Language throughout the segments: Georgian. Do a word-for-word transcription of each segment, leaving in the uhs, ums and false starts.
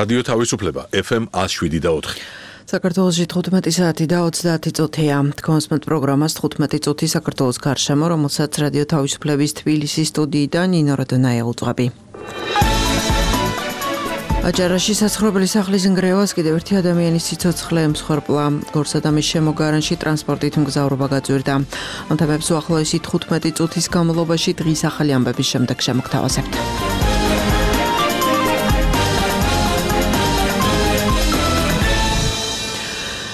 რადიო თავისუფლება ეფ ემ ათს შვიდი და ოთხი. საქართველოში თხუთმეტი საათი და ოცდაათი წუთია. თქვენსმეთ პროგრამას თხუთმეტი წუთი საქართველოს გარშემო, რომელსაც რადიო თავისუფლების თბილისის სტუდიიდან ნინო როდონაია უძღვები. აჭარაში საცხოვრებელი სახლის ნგრევას კიდევ ერთი ადამიანის სიცოცხლე ემსხვერპლა. გორსადამის შემოგარენში ტრანსპორტით მგზავრობა გაძვირდა. ამ თემებს უახლოესი თხუთმეტი წუთის განმავლობაში დღის ახალი ამბების შემდეგ შემოგთავაზებთ.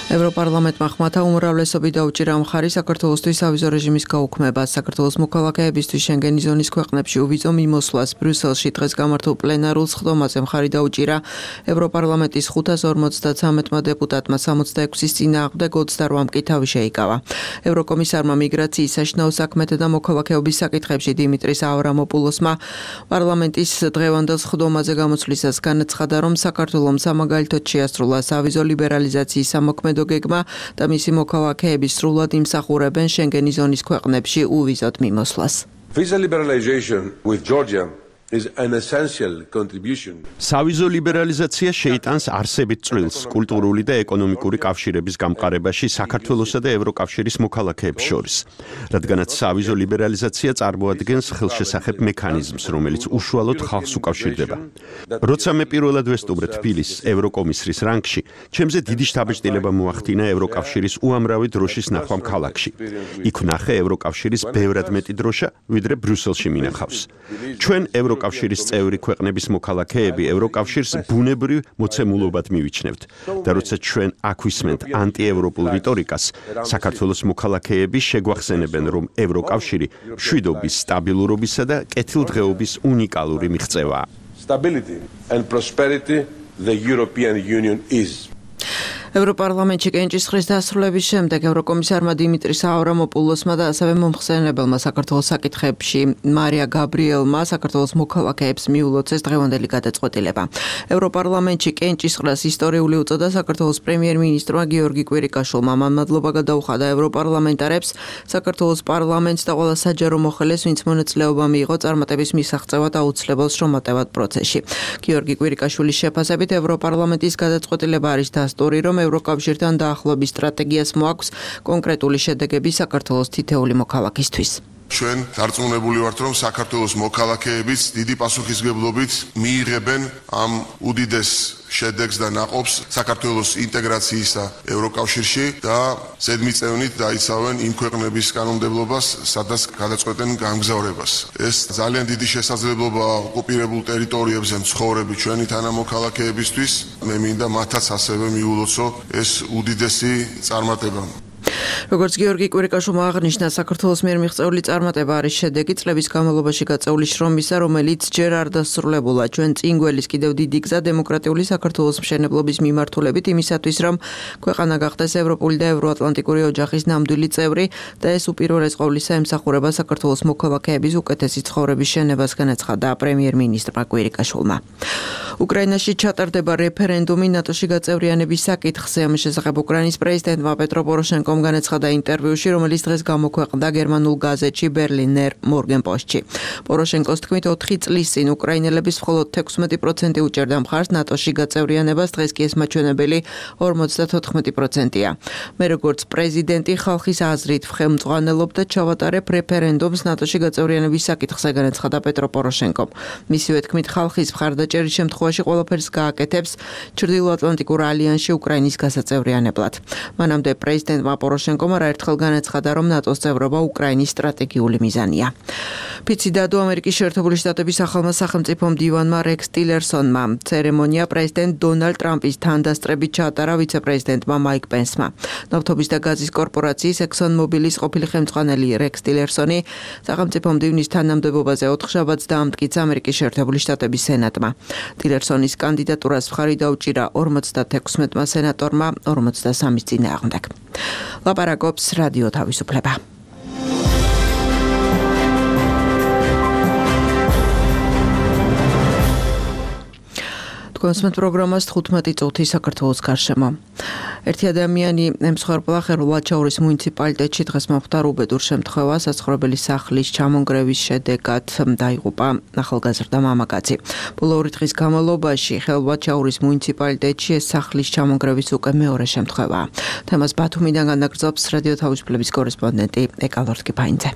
ევროპარლამენტმა ხმათა უმრავლესობით დაუჭირა მხარი საქართველოსთვის სავიზო რეჟიმის გაუქმებას. საქართველოს მოქალაქეებისთვის შენგენის ზონის ქვეყნებში უვიზო მიმოსვლას ბრიუსელში დღეს გამართულ პლენარულ სხდომაზე მხარი დაუჭირა ევროპარლამენტის ხუთას ორმოცდათრამეტმა დეპუტატმა, სამოცდაექვსის წინააღმდეგ ოცდარვამ კი თავი შეიკავა. ევროკომისარმა მიგრაციის, საშინაო საქმეთა და მოქალაქეობის საკითხებში დიმიტრის ავრამოპულოსმა პარლამენტის დღევანდელ სხდომაზე გამოცვლისას განაცხადა, რომ საქართველომ სამაგალითოდ შეასრულა სავიზო ლიბერალიზაციის სამოქმედო გეგმა და მისი მოქალაქეები სრულად იმსახურებენ შენგენის ზონის ქვეყნებში უვიზოდ მიმოსვლას. Visa liberalization with Georgia is an essential contribution. სავიზო ლიბერალიზაცია შეიტანს არსებით წვლილს კულტურული და ეკონომიკური კავშირების გამყარებაში საქართველოსა და ევროკავშირის მოქალაქეებს შორის, რადგანაც სავიზო ლიბერალიზაცია წარმოადგენს ხელშესახებ მექანიზმს, რომელიც უშუალოდ ხალხს უკავშირდება. როცა მე პირველად ვესტუმრე თბილისს ევროკომისრის რანგში, ჩემზე დიდი შთაბეჭდილება მოახდინა ევროკავშირის უამრავი დროშის ნახვამ ქალაქში. იქ ვნახე ევროკავშირის ბევრად მეტი დროშა, ვიდრე ბრიუსელში მინახავს. ჩვენ ევროკავშირის კავშირის წევრი ქვეყნების მოქალაქეები ევროკავშირს ბუნებრივ მოცემულობად მივიჩნევთ და როცა ჩვენ აქ ვისმენთ ანტიევროპულ რიტორიკას, საქართველოს მოქალაქეები შეგვახსენებენ, რომ ევროკავშირი მშვიდობის, სტაბილურობისა და კეთილდღეობის უნიკალური მიღწევაა. Stability and prosperity the European Union is. ევროპარლამენტში კენჭისყრის დასრულების შემდეგ ევროკომისარმა დიმიტრის ავრამოპულოსმა და ასევე მომხსენებელმა საქართველოს საკითხებში მარია გაბრიელმა საქართველოს მოქალაქეებს მიულოცეს დღევანდელი გადაწყვეტილება. ევროპარლამენტში კენჭისყრას ისტორიული უწოდა საქართველოს პრემიერ-მინისტრმა გიორგი კვირიკაშვილმა. მან მადლობა გადაუხადა ევროპარლამენტარებს, საქართველოს პარლამენტს და ყველა საჯარო მოხელეს, ვინც მონაწილეობა მიიღო წარმატების მისაღწევად აუცილებელ შრომატევად პროცესში. გიორგი კვირიკაშვილის შეფასებით ევროპარლამენტის გადაწყვეტილება არის დასტური, რომ ევროკავშირთან დაახლოების სტრატეგიას მოაქვს კონკრეტული შედეგები საქართველოს თითეული მოქალაქისთვის. ჩვენ დარწმუნებული ვართ, რომ საქართველოს მოქალაქეებიც დიდი პასუხისმგებლობით მიიღებენ ამ უდიდეს შედეგს და ნაყოფს საქართველოს ინტეგრაციის და ევროკავშირში და ზედმიწევნით დაიცავენ იმ ქვეყნების კანონმდებლობას, სადაც გადაწყვეტენ გამგზავრებას. ეს ძალიან დიდი შესაძლებლობა ოკუპირებულ ტერიტორიებზე მცხოვრები ჩვენი თანამოქალაქეებისთვის. მე მინდა მათაც ასევე მიულოცო ეს უდიდესი წარმატება. როგორც გიორგი კვირიკაშვილმა აღნიშნა, საქართველოს მიერ მიღწეული წარმატება არის შედეგი წლების განმავლობაში გაწეული შრომისა, რომელიც ჯერ არ დასრულებულა. ჩვენ წინ გველის კიდევ დიდი გზა დემოკრატიული საქართველოს მშენებლობის მიმართულებით იმისათვის, რომ ქვეყანა გახდეს ევროპული და ევროატლანტიკური ოჯახის ნამდვილი წევრი და ეს უპირველეს ყოვლისა ემსახურება საქართველოს მოქალაქეების უკეთესი ცხოვრების შენებას, განაცხადა პრემიერ-მინისტრმა კვირიკაშვილმა. უკრაინაში ჩატარდება რეფერენდუმი ნატოში გაწევრიანების საკითხზე. ამ შესახებ უკრაინის პრეზიდენტმა პეტრო პოროშენკომ განაცხადა ინტერვიუში, რომელიც დღეს გამოქვეყნდა გერმანულ გაზეთში ბერლინერ მორგენპოსტში. პოროშენკოს თქმით, ოთხი წლის წინ უკრაინელების მხოლოდ თექვსმეტი პროცენტი უჭერდა მხარს ნატოში გაწევრიანებას, დღეს კი ეს მაჩვენებელი ორმოცდათოთხმეტი პროცენტია. მე როგორც პრეზიდენტი ხალხის აზრით ვხელმძღვანელობ და ჩავატარებ რეფერენდუმს ნატოში გაწევრიანების საკითხზე, განაცხადა პეტრო პოროშენკომ. მისივე თქმით, ხალხის მხარდაჭერის შემთხვევაში ყველაფერს გააკეთებს ჩრდილოატლანტიკურ ალიანსში უკრაინის გასაწევრიანებლად. მანამდე პრეზიდენტმა პოროშენკომ არაერთხელ განაცხადა, რომ ნატოს წევრობა უკრაინის სტრატეგიული მიზანია. ფიცი დადო ამერიკის შეერთებული შტატების ახალმა სახელმწიფო მდივანმა რექს ტილერსონმა. ცერემონია პრეზიდენტ დონალდ ტრამპის თანდასწრებით ჩაატარა ვიცე-პრეზიდენტმა მაიკ პენსმა. ნავთობის და გაზის კორპორაციის ექსონ მობილის ყოფილი ხელმძღვანელი რექს ტილერსონი სახელმწიფო მდივნის თანამდებობაზე ოთხშაბათს დაამტკიცა ამერიკის შეერთებული შტატების სენატმა. ტილერსონის კანდიდატურას მხარი დაუჭირა ორმოცდათექვსმეტმა სენატორმა ორმოცდასამის წინააღმდეგ. ლაპარაკობს რადიო თავისუფლება. თქვენს პროგრამას თხუთმეტი წუთი საქართველოს გარშემო. ერთი ადამიანი ემსხვერპლა ხერულ-ვაჩაურის მუნიციპალიტეტში დღეს მოხდა უბედურ შემთხვევა, საცხოვრებელი სახლის ჩამონგრევის შედეგად დაიღუპა ახალგაზრდა მამაკაცი. ბოლო ორი დღის განმავლობაში ხერულ-ვაჩაურის მუნიციპალიტეტში ეს სახლის ჩამონგრევის უკვე მეორე შემთხვევაა. თემას ბათუმიდან განაგრძობს რადიო თავისუფლების კორესპონდენტი ეკალორტკი ფაინძე.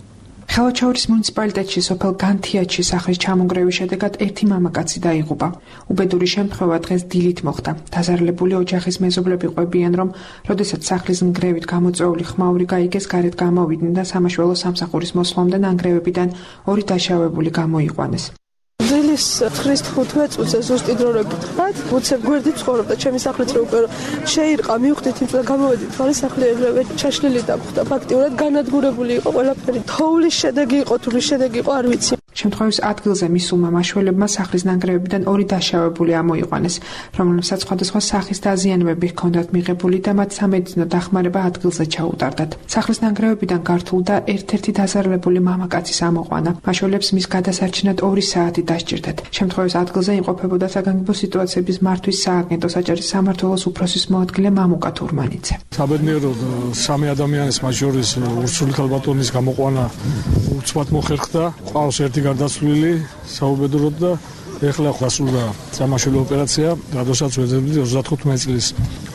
ხევაჩაურის მუნიციპალიტეტში სოფელ განთიაჩის სახლის ჩამონგრევის შედეგად ერთი მამაკაცი დაიღუპა. უბედური შემთხვევა დღეს დილით მოხდა. დაზარალებული ოჯახის მეზობლები ყვებიან, რომ როდესაც სახლის ნგრევით გამოწვეული ხმაური გაიგეს, გარეთ გამოვიდნენ და სამაშველო სამსახურის მოსვლამდე ნანგრევებიდან ორი დაშავებული გამოიყვანეს. დილის ცხრის თხუთმეტ წუთზე ზუსტი დრო რო გითხრათ, უცებ გვერდით ცხოვრობდა, ჩემი სახლიც რო უკვე შეირყა, მივხვდით იმ წელს გამოვედით, ხარი სახლი ეგრევე ჩაშლილი დამხვდა. ფაქტიურად განადგურებული იყო ყველაფერი. თოვლის შედეგი იყო, თუ რის შედეგი იყო, არ ვიცი. შემთხვევის ადგილზე მისულმა მაშველებმა სახლის ნანგრევებიდან ორი დაშავებული ამოიყვანეს, რომელსაც სხვადასხვა სახის დაზიანებები ჰქონდათ მიღებული და მათ სამედიცინო დახმარება ადგილზე ჩაუტარდათ. სახლის ნანგრევებიდან გართულდა ერთ-ერთი დაზარალებული მამაკაცის ამოყვანა. მაშველებს მის გადასარჩენად ორი საათი დასჭირდათ. შემთხვევის ადგილზე იმყოფებოდა საგანგებო სიტუაციების მართვის სააგენტო საჯარის სამმართველოს უფროსის მოადგილე მამუკა თურმანიძე. საბედნიეროდ სამი ადამიანის მათ შორის ურსული ქალბატონის გამოყვანა უცბად მოხერხდა. ყავს ერთი გარდაცვლილი საუბედუროდ და ეხლა დასრულდა სამაშველო ოპერაცია, როდესაც ვეძებდით ოცდათხუთმეტი წლის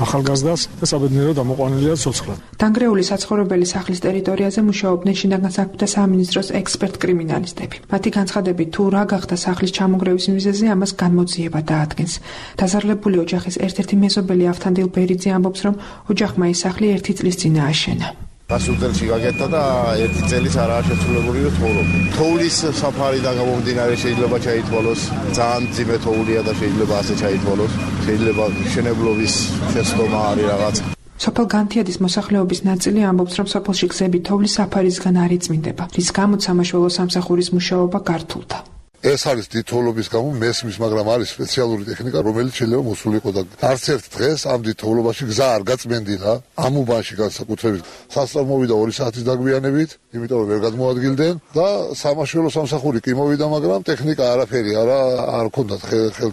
ახალგაზრდას და საბედნიეროდ ამოყვანილია ცოცხლად. დანგრეული საცხოვრებელი სახლის ტერიტორიაზე მუშაობდნენ შინაგან საქმეთა სამინისტროს ექსპერტ-კრიმინალისტები. მათი განცხადებით, თუ რა გახდა სახლის ჩამონგრევის მიზეზი, ამას განმოძიება დაადგენს. დაზარალებული ოჯახის ერთ-ერთი მეზობელი ავთანდილ ბერიძე ამბობს, რომ ოჯახმა ის სახლი ერთი წლის წინ ააშენა. გასულ წელს გაკეთდა და ერთი წელის არაა შესრულებული და ცხოვრობ. თოვლის საფარიდან გამომდინარე შეიძლება ჩაითვალოს, ძალიან ძიმე თოვლია და შეიძლება ასე ჩაითვალოს. შეიძლება მშენებლობის შეცდომა არის რაღაც. სოფელ განთიადის მოსახლეობის ნაწილი ამბობს, რომ სოფელში გზები თოვლის საფარისგან არ იწმინდება, რის გამოც სამაშველო სამსახურის მუშაობა გართულდა. ეს არის დიდთოვლობის გამო მესმის, მაგრამ არის სპეციალური ტექნიკა, რომელიც შეიძლება მოსულიყო და არც ერთ დღეს ამ დიდთოვლობაში გზა არ გაწმენდილა. ამ უბანში განსაკუთრებით სასწავლო მოვიდა ორი საათის დაგვიანებით, იმიტომ რომ ვერ გადმოადგილდნენ და სამაშველო სამსახური კი მოვიდა, მაგრამ ტექნიკა არაფერი არა არ ჰქონდათ ხელ.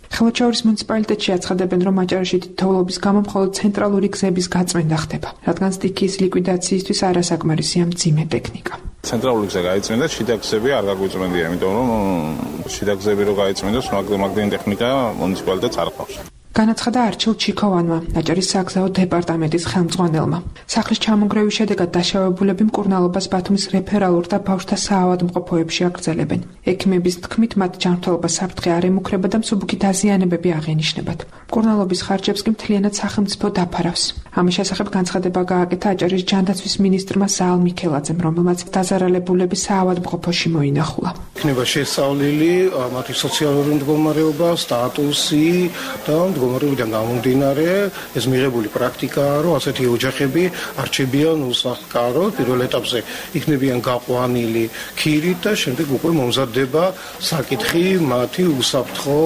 ხევაჩაურის მუნიციპალიტეტში აცხადებენ, რომ აჭარაში დიდთოვლობის გამო მხოლოდ ცენტრალური გზების გაწმენდა ხდება, რადგან სტიქიის ლიკვიდაციისთვის არასაკმარისია მძიმე ტექნიკა. ცენტრალური გზა გაიწმინდა, შიდა გზები არ გაგვიწმენდია, იმიტომ რომ შიდა გზები რო გაიწმინდოს, მაგდენი ტექნიკა მუნიციპალიტეტს არ ყავს. განაცხადა არჩილ ჩიქოვანმა, აჭარის საგზაო დეპარტამენტის ხელმძღვანელმა. სახლის ჩამონგრევის შედეგად დაშავებულები მკურნალობას ბათუმის რეფერალურ და ბავშვთა საავადმყოფოებში აგრძელებენ. ექიმების თქმით, მათ ჯანმრთელობა საფრთხე არ ემუქრება და მსუბუქი დაზიანებები აღენიშნებათ. მკურნალობის ხარჯებს კი მთლიანად სახელმწიფო დაფარავს. ამის შესახებ განცხადება გააკეთა აჭარის ჯანდაცვის მინისტრმა ზაალ მიქელაძემ, რომელმაც დაზარალებულები საავადმყოფოში მოინახულა. იქნება შესწავლილი მათი სოციალური მდგომარეობა, სტატუსი და მდგომარეობიდან გამომდინარე ეს მიღებული პრაქტიკაა, რომ ასეთი ოჯახები არჩებიან უსახლკარო, პირველ ეტაპზე იქნებიან გაყვანილი ქირით და შემდეგ უკვე მომზადდება საკითხი მათი უსაფრთხო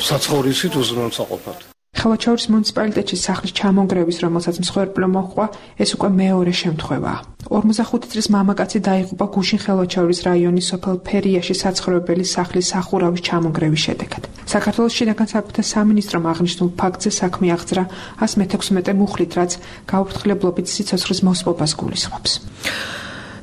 საცხოვრისით უზრუნველსაყოფად. ხევაჩაურის მუნიციპალიტეტში სახლის ჩამონგრევის, რომელსაც მსხვერპლო მოჰყვა, ეს უკვე მეორე შემთხვევაა. ორმოცდახუთი წლის მამაკაცი დაიღუპა გუშინ ხევაჩაურის რაიონის სოფელ ფერიაში საცხოვრებელი სახლის სახურავის ჩამონგრევის შედეგად. საქართველოს შინაგან საქმეთა სამინისტრომ აღნიშნულ ფაქტზე საქმე აღძრა ას მეთექვსმეტე მუხლით, რაც გაუფრთხილებლობით სიცოცხლის მოსპობას გულისხმობს.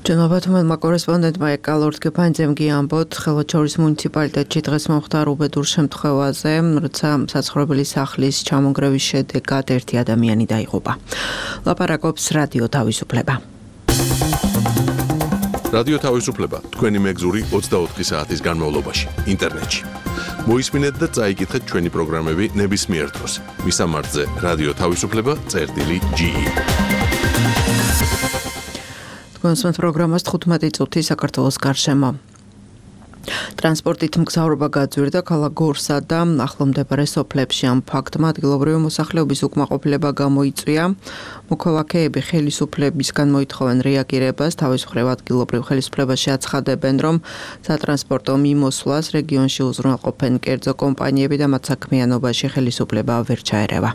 Ջնով բաթումելმა կորեսպոնդենտმა եկալորդ կփանձեմ գիամբոտ խելոչորիս մունիցիպալիտետի დღეს მოხდა უბედურ შემთხვევაზე, როცა საცხოვრებელი სახლის ჩამონგრევის შედეგად ერთი ადამიანი დაიღუპა. ლაპარაკობს რადიო თავისუფლება. რადიო თავისუფლება თქვენი მეგზური ოცდაოთხი საათის განმავლობაში ინტერნეტში. მოისმინეთ და წაიკითხეთ ჩვენი პროგრამები ნებისმიერ დროს. მისამართზე რადიო თავისუფლება წერტილი ჯი ი. Კონსუმენტ პროგრამას თხუთმეტი წუთი საქართველოს გარშემო. ტრანსპორტით მგზავრობა გაძვირდა ქალაქ გორსა და ახლომდებარე სოფლებში. ამ ფაქტმა ადგილობრივი მოსახლეობის უკმაყოფილება გამოიწვია. მოქალაქეები ხელისუფლებისგან მოითხოვენ რეაგირებას. თავის მხრივ ადგილობრივ ხელისუფლებაში აცხადებენ, რომ სატრანსპორტო მიმოსვლას რეგიონში უზრუნველყოფენ კერძო კომპანიები და მათ საქმიანობაში ხელისუფლება ვერ ჩაერევა.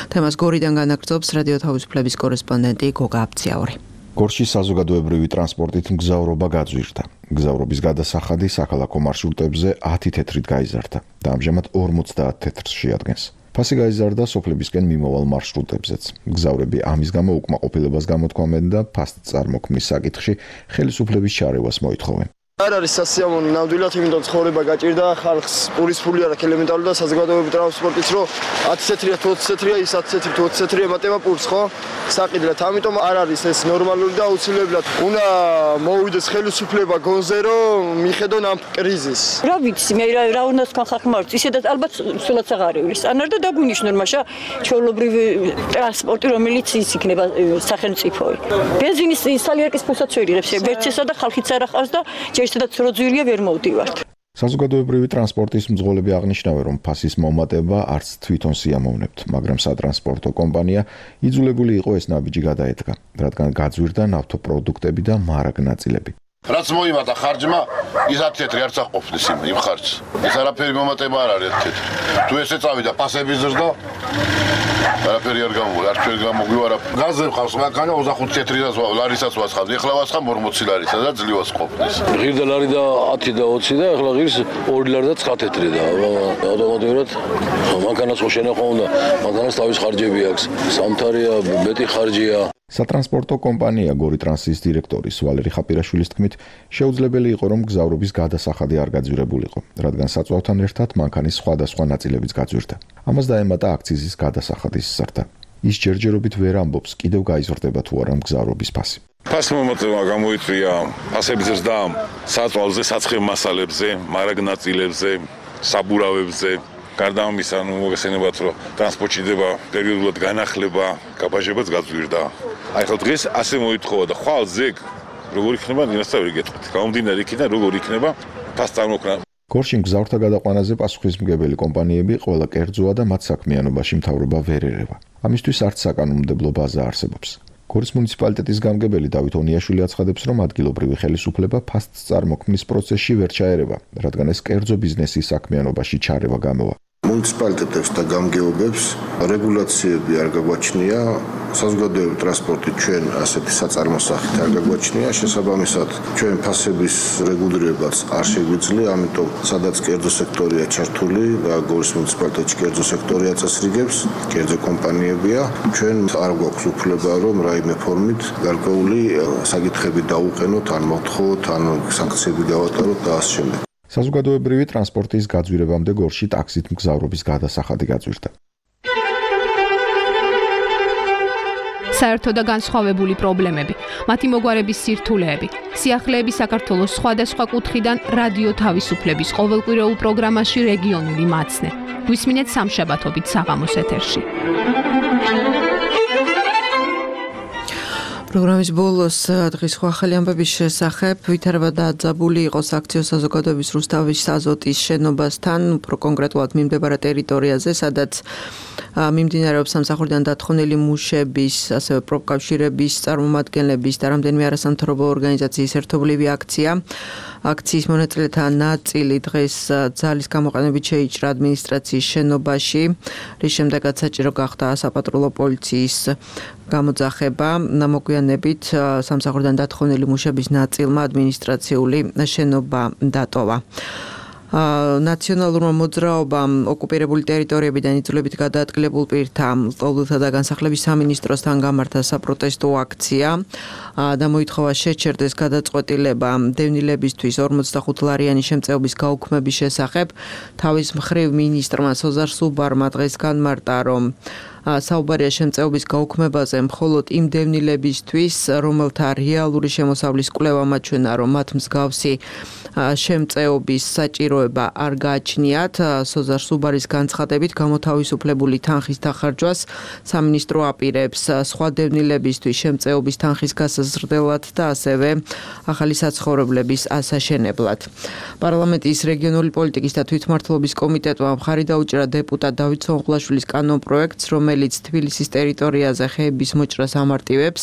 თემას გორიდან განაგრძობს რადიო თავისუფლების კორესპონდენტი გოგა აბციაური. გორში საზოგადოებრივი ტრანსპორტით მგზავრობა გაძვირდა. გზავრობის გადასახადი საქალაქო მარშრუტებზე ათი თეთრით გაიზარდა და ამჟამად ორმოცდაათ თეთრს შეადგენს. ფასი გაიზარდა სოფლებისკენ მიმავალ მარშრუტებზეც. გზავრები ამის გამო უკმაყოფილებას გამოთქვამენ და ფასს წარმოქმნის საკითხში ხელისუფლების ჩარევას მოითხოვენ. არ არის სასიამოვნო ნამდვილად, იმიტომ ცხოვრება გაჭირდა ხალხს პურის ფული არ აქვს ელემენტარული და საზოგადოებრივი ტრანსპორტიც რო ათი ცეტრია თუ ოცი ცეტრია, ის ათი ცეტრი თუ ოცი ცეტრი ემატება პურს, ხო? საყიდლად. ამიტომ არ არის ეს ნორმალური და აუცილებლად უნდა მოვიდეს ხელისუფლება გონზე რომ მიხედონ ამ კრიზისს. რა ვიცი, მე რა უნდა თქვა ხალხმა მართ, ისედაც ალბათ სულაც აღარ ივლის. ანარ და დაგვინიშნონ მაშა ჩვეულებრივი ტრანსპორტი რომელიც ის იქნება სახელმწიფოი. ბენზინის სალიერკის ფულსაც ვერ იღებს, ვერცესა და ხალხიც არ ახავს და ერთადაც როძვირია ვერ მოვდივართ. საზოგადოებრივი ტრანსპორტის მძღოლები აღნიშნავენ, რომ ფასის მომატება არც თვითონ სიამოვნებთ, მაგრამ სატრანსპორტო კომპანია იძულებული იყო ეს ნაბიჯი გადაედგა, რადგან გაძვირდა ნავთობპროდუქტები და მარაგ ნაწილები. რაც მოიმატა ხარჯმა, ის ათი თეთრი არც აყოფნის იმ ხარჯს. ეს არაფერი მომატება არ არის ათი თეთრი. თუ ესე წავიდა ფასების ზრდა, არაფერი არ გამოვიდა, არც ვერ გამოგვივარა. გაზზე ხავს მანქანა ოცდახუთი თეთრიდანს ლარისაც ვასხავდი, ეხლა ვასხავ ორმოცი ლარისა და ძლივას ყოფნის. ღირდა ლარი და ათი და ოცი და ეხლა ღირს ორი ლარი და ცხრა თეთრი და ავტომატურად მანქანას ხო შენახვა უნდა, მანქანას თავის ხარჯები აქვს. სამთარია, მეტი ხარჯია. სატრანსპორტო კომპანია გორიტრანსის დირექტორის ვალერი ხაპირაშვილის თქმით, შეუძლებელი იყო რომ გზავრობის გადასახადი არ გაძვირებულიყო, რადგან საწვავთან ერთად მანქანის სხვადასხვა ნაწილებიც გაძვირდა. ამას დაემატა აქციზის გადასახადის ზრდა. ის ჯერჯერობით ვერ ამბობს, კიდევ გაიზრდება თუ არა გზავრობის ფასი. ფასი მომატება გამოიწვია ფასების ზრდა საწვავზე, საცხებ მასალებზე, მარაგ ნაწილებზე, საბურავებზე. გარდა ამისა, ნუ მოგესალმებათ, რომ ტრანსპორტში დება პერიოდულად განახლება, გაბაჟებაც გაძვირდა. აი ხო დღეს ასე მოითხოვა და ხვალ ზეგ როგორ იქნება, ნინასთან ვერ გეტყვით. გამომდინარე იქიდან როგორ იქნება ფასს წარმოქმნა. გორშინ გზავრთა გადაყვანაზე პასუხისმგებელი კომპანიები ყველა კერძოა და მათ საქმიანობაში მთავრობა ვერ ერევა. ამისთვის არც საკანონმდებლო ბაზა არსებობს. გორის მუნიციპალიტეტის გამგებელი დავით ონიაშვილი აცხადებს, რომ ადგილობრივი ხელისუფლება ფასს წარმოქმნის პროცესში ვერ ჩაერევა, რადგან ეს კერძო ბიზნესის საქმიანობაში ჩარევა გამოვა. მუნიციპალიტეტებს და გამგეობებს რეგულაციები არ გაგვაჩნია, საზოგადოებრივი ტრანსპორტი ჩვენ ასეთი საწარმოსახით არ გაგვაჩნია, შესაბამისად ჩვენ ფასების რეგულირებაც არ შეგვიძლია, ამიტომ სადაც კერძო სექტორია ჩართული და გორის მუნიციპალიტეტში კერძო სექტორია წესრიგებს, კერძო კომპანიებია, ჩვენ არ გვაქვს უფლება რომ რაიმე ფორმით გარკვეული საკითხები დაუყენოთ, ან მოთხოვოთ, ან სანქციები გავატაროთ და ასე შემდეგ. საზოგადოებრივი ტრანსპორტის გაძვირებამდე გორში ტაქსით მგზავრობის გადასახადი გაძვირდა. საერთო და განსხვავებული პრობლემები, მათი მოგვარების სირთულეები, სიახლეები საქართველოს სხვადასხვა კუთხიდან რადიო თავისუფლების ყოველკვირეულ პროგრამაში რეგიონული მაცნე. გვისმინეთ სამშაბათობით საღამოს ეთერში. პროგრამის ბოლოს დღის ახალი ამბების შესახებ ვითარება დაძაბული იყო საქციო საზოგადოების რუსთავის აზოტის შენობასთან, უფრო კონკრეტულად მიმდებარე ტერიტორიაზე, სადაც მიმდინარეობს სამსახურიდან დათხოვნილი მუშების, ასევე პროფკავშირების წარმომადგენლების და რამდენიმე არასამთავრობო ორგანიზაციის ერთობლივი აქცია. აქციის მონაწილეთა ნაწილი დღეს ძალის გამოყენებით შეიჭრა ადმინისტრაციის შენობაში, რის შემდეგაც საჭირო გახდა საპატრულო პოლიციის გამოძახება. მოგვიანებით სამსახურიდან დათხოვნილი მუშების ნაწილმა ადმინისტრაციული შენობა დატოვა. ნაციონალურმა მოძრაობამ ოკუპირებული ტერიტორიებიდან იძულებით გადაადგილებულ პირთა ლტოლვილთა და განსახლების სამინისტროსთან გამართა საპროტესტო აქცია და მოითხოვა შეჩერდეს გადაწყვეტილება დევნილებისთვის ორმოცდახუთლარიანი შემწეობის გაუქმების შესახებ. თავის მხრივ მინისტრმა სოზარ სუბარმა დღეს განმარტა, რომ საუბარია შემწეობის გაუქმებაზე მხოლოდ იმ დევნილებისთვის, რომელთა რეალური შემოსავლის კვლევა მაჩვენა, რომ მათ მსგავსი შემწეობის საჭიროება არ გააჩნიათ. სოზარ სუბარის განცხადებით, გამოთავისუფლებული თანხის დახარჯვას სამინისტრო აპირებს სხვა დევნილებისთვის შემწეობის თანხის გასაზრდელად და ასევე ახალი საცხოვრებლების ასაშენებლად. პარლამენტის რეგიონული პოლიტიკის და თვითმმართველობის კომიტეტმა მხარი დაუჭირა დეპუტატ დავით სონღულაშვილის კანონპროექტს, რომელიც თბილისის ტერიტორიაზე ხეების მოჭრას ამარტივებს.